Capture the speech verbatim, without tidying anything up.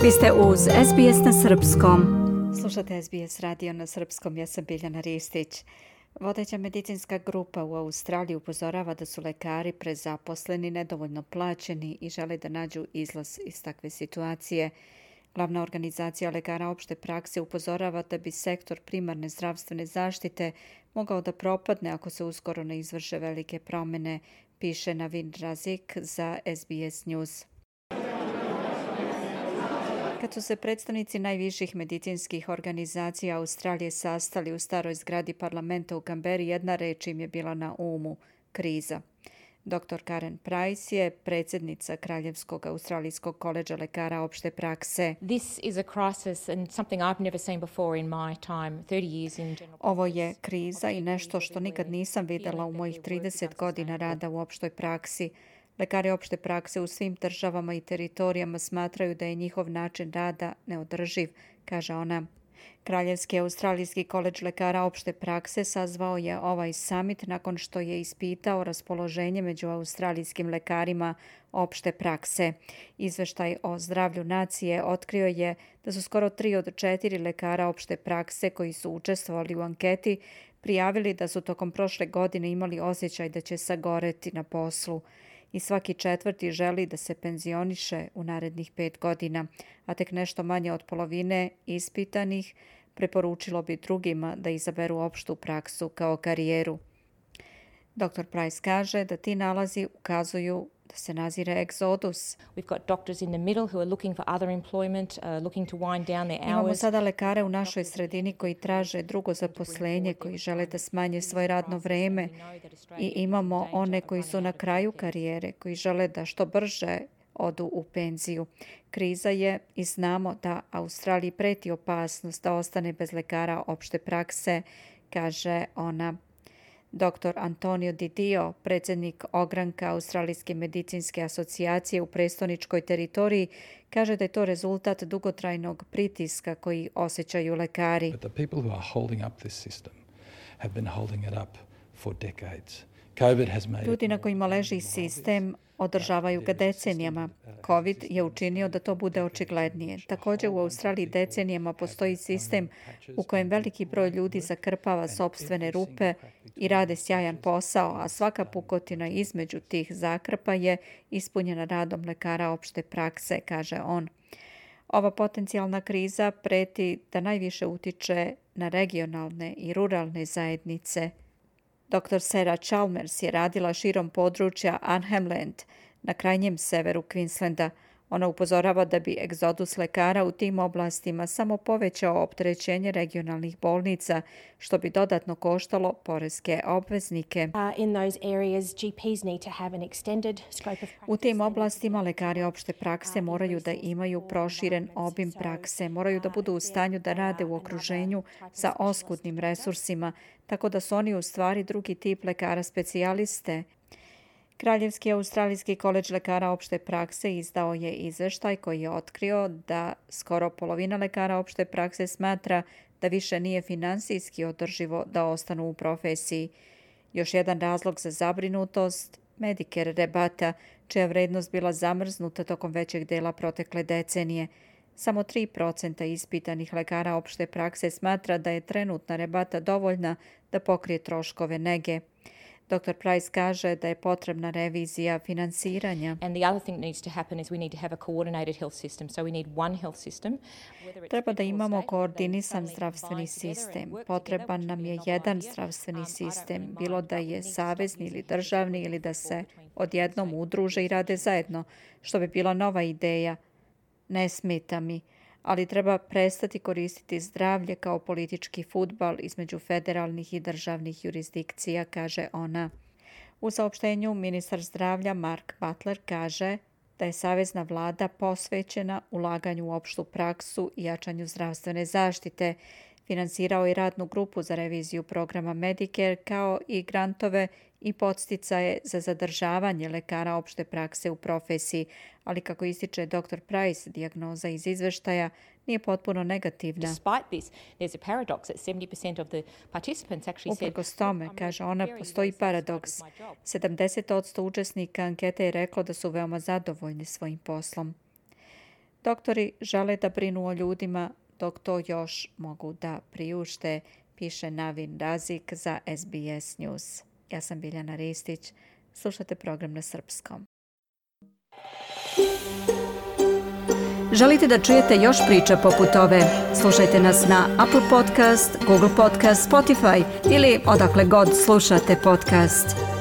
Vi ste uz S B S na srpskom. Slušate S B S radio na srpskom, ja sam Biljana Ristić. Vodeća medicinska grupa u Australiji upozorava da su lekari prezaposleni, nedovoljno plaćeni i žele da nađu izlaz iz takve situacije. Glavna organizacija lekara opšte prakse upozorava da bi sektor primarne zdravstvene zaštite mogao da propadne ako se uskoro ne izvrše velike promjene, piše Navin Razik za S B S News. Kad su se predstavnici najviših medicinskih organizacija Australije sastali u staroj zgradi parlamenta u Kamberi, jedna reč im je bila na umu – kriza. doktor Karen Price je predsjednica Kraljevskog australijskog koledža lekara opšte prakse. This is a crisis and something I've never seen before in my time, thirty years in general. Ovo je kriza i nešto što nikad nisam vidjela u mojih trideset godina rada u opštoj praksi. Lekari opšte prakse u svim državama i teritorijama smatraju da je njihov način rada neodrživ, kaže ona. Kraljevski australijski koledž lekara opšte prakse sazvao je ovaj summit nakon što je ispitao raspoloženje među australijskim lekarima opšte prakse. Izveštaj o zdravlju nacije otkrio je da su skoro tri od četiri lekara opšte prakse koji su učestvovali u anketi prijavili da su tokom prošle godine imali osjećaj da će sagoreti na poslu. I svaki četvrti želi da se penzioniše u narednih pet godina, a tek nešto manje od polovine ispitanih preporučilo bi drugima da izaberu opštu praksu kao karijeru. doktor Price kaže da ti nalazi ukazuju da se nazire egzodus. We've got doctors in the middle who are looking for other employment, uh, looking to wind down their hours. Imamo sada lekare u našoj sredini koji traže drugo zaposlenje, koji žele da smanje svoje radno vreme i imamo one koji su na kraju karijere, koji žele da što brže odu u penziju. Kriza je i znamo da Australiji preti opasnost da ostane bez lekara opšte prakse, kaže ona. doktor Antonio Di Dio, predsjednik ogranka Australijske medicinske asocijacije u prestoničkoj teritoriji, kaže da je to rezultat dugotrajnog pritiska koji osjećaju lekari. But the people who are holding up this system have been holding it up for decades. COVID has made Ljudi na kojima leži sistem održavaju ga decenijama. COVID je učinio da to bude očiglednije. Također u Australiji decenijama postoji sistem u kojem veliki broj ljudi zakrpava sopstvene rupe i rade sjajan posao, a svaka pukotina između tih zakrpa je ispunjena radom lekara opšte prakse, kaže on. Ova potencijalna kriza preti da najviše utiče na regionalne i ruralne zajednice. doktor Sarah Chalmers je radila širom područja Arnhem Land na krajnjem severu Queenslanda. Ona upozorava da bi egzodus lekara u tim oblastima samo povećao opterećenje regionalnih bolnica, što bi dodatno koštalo poreske obveznike. U tim oblastima lekari opšte prakse moraju da imaju proširen obim prakse, moraju da budu u stanju da rade u okruženju sa oskudnim resursima, tako da su oni u stvari drugi tip lekara specijaliste. Kraljevski australijski koledž lekara opšte prakse izdao je izveštaj koji je otkrio da skoro polovina lekara opšte prakse smatra da više nije finansijski održivo da ostanu u profesiji. Još jedan razlog za zabrinutost, Medicare rebata, čija vrednost bila zamrznuta tokom većeg dela protekle decenije. Samo tri procenta ispitanih lekara opšte prakse smatra da je trenutna rebata dovoljna da pokrije troškove nege. doktor Price kaže da je potrebna revizija finansiranja. And the other thing that needs to happen is we need to have a coordinated health system. So we need one health system. Treba da imamo koordinisan zdravstveni sistem. Potreban nam je jedan zdravstveni sistem, bilo da je savezni ili državni ili da se odjednom udruže i rade zajedno, što bi bila nova ideja. Ne smeta mi, ali treba prestati koristiti zdravlje kao politički fudbal između federalnih i državnih jurisdikcija, kaže ona. U saopštenju ministar zdravlja Mark Butler kaže da je savezna vlada posvećena ulaganju u opštu praksu i jačanju zdravstvene zaštite. Finansirao je radnu grupu za reviziju programa Medicare kao i grantove i podsticaje za zadržavanje lekara opšte prakse u profesiji, ali kako ističe doktor Price, dijagnoza iz izveštaja nije potpuno negativna. Uprkos tome, kaže ona, postoji paradoks. sedamdeset posto učesnika ankete je reklo da su veoma zadovoljni svojim poslom. Doktori žele da brinu o ljudima dok to još mogu da priušte, piše Navin Razik za S B S News. Ja sam Biljana Ristić. Slušate program na srpskom. Želite da čujete još priča poput ove? Slušajte nas na Apple Podcast, Google Podcast, Spotify ili odakle god slušate podcast.